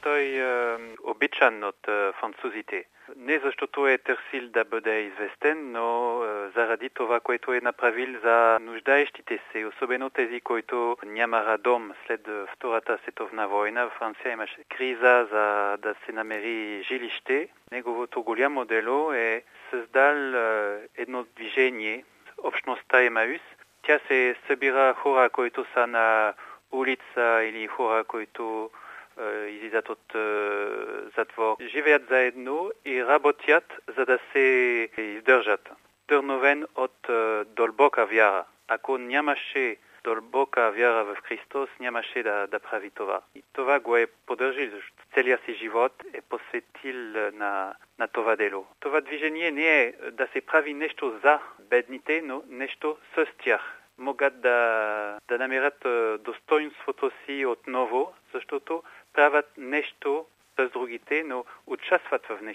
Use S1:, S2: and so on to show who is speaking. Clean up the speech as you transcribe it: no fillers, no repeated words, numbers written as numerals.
S1: Той обичан от французите. Не защото е търсил да бъде известен, но заради това, което е направил за нуждаещите се, особено тези, които нямаха дом след Втората световна война. В Франция имаше криза за да се намери жилище. Неговото голямо дело е създал едно движение, общността Емаус. Тя се събира хора, които са на улица или хора, които излизат от затвор. Живеят заедно и работят, за да се издържат. Вдъхновен от дълбока вяра. Ако нямаше дълбока вяра в Христос, нямаше да прави това. И това го е поддържил. Целият си живот е посветил на това дело. Това движение не е да се прави нещо за бедните, но нещо с тях. Могат да намерят достоинството си отново, защото правят нещо с другите, но участват в нещо.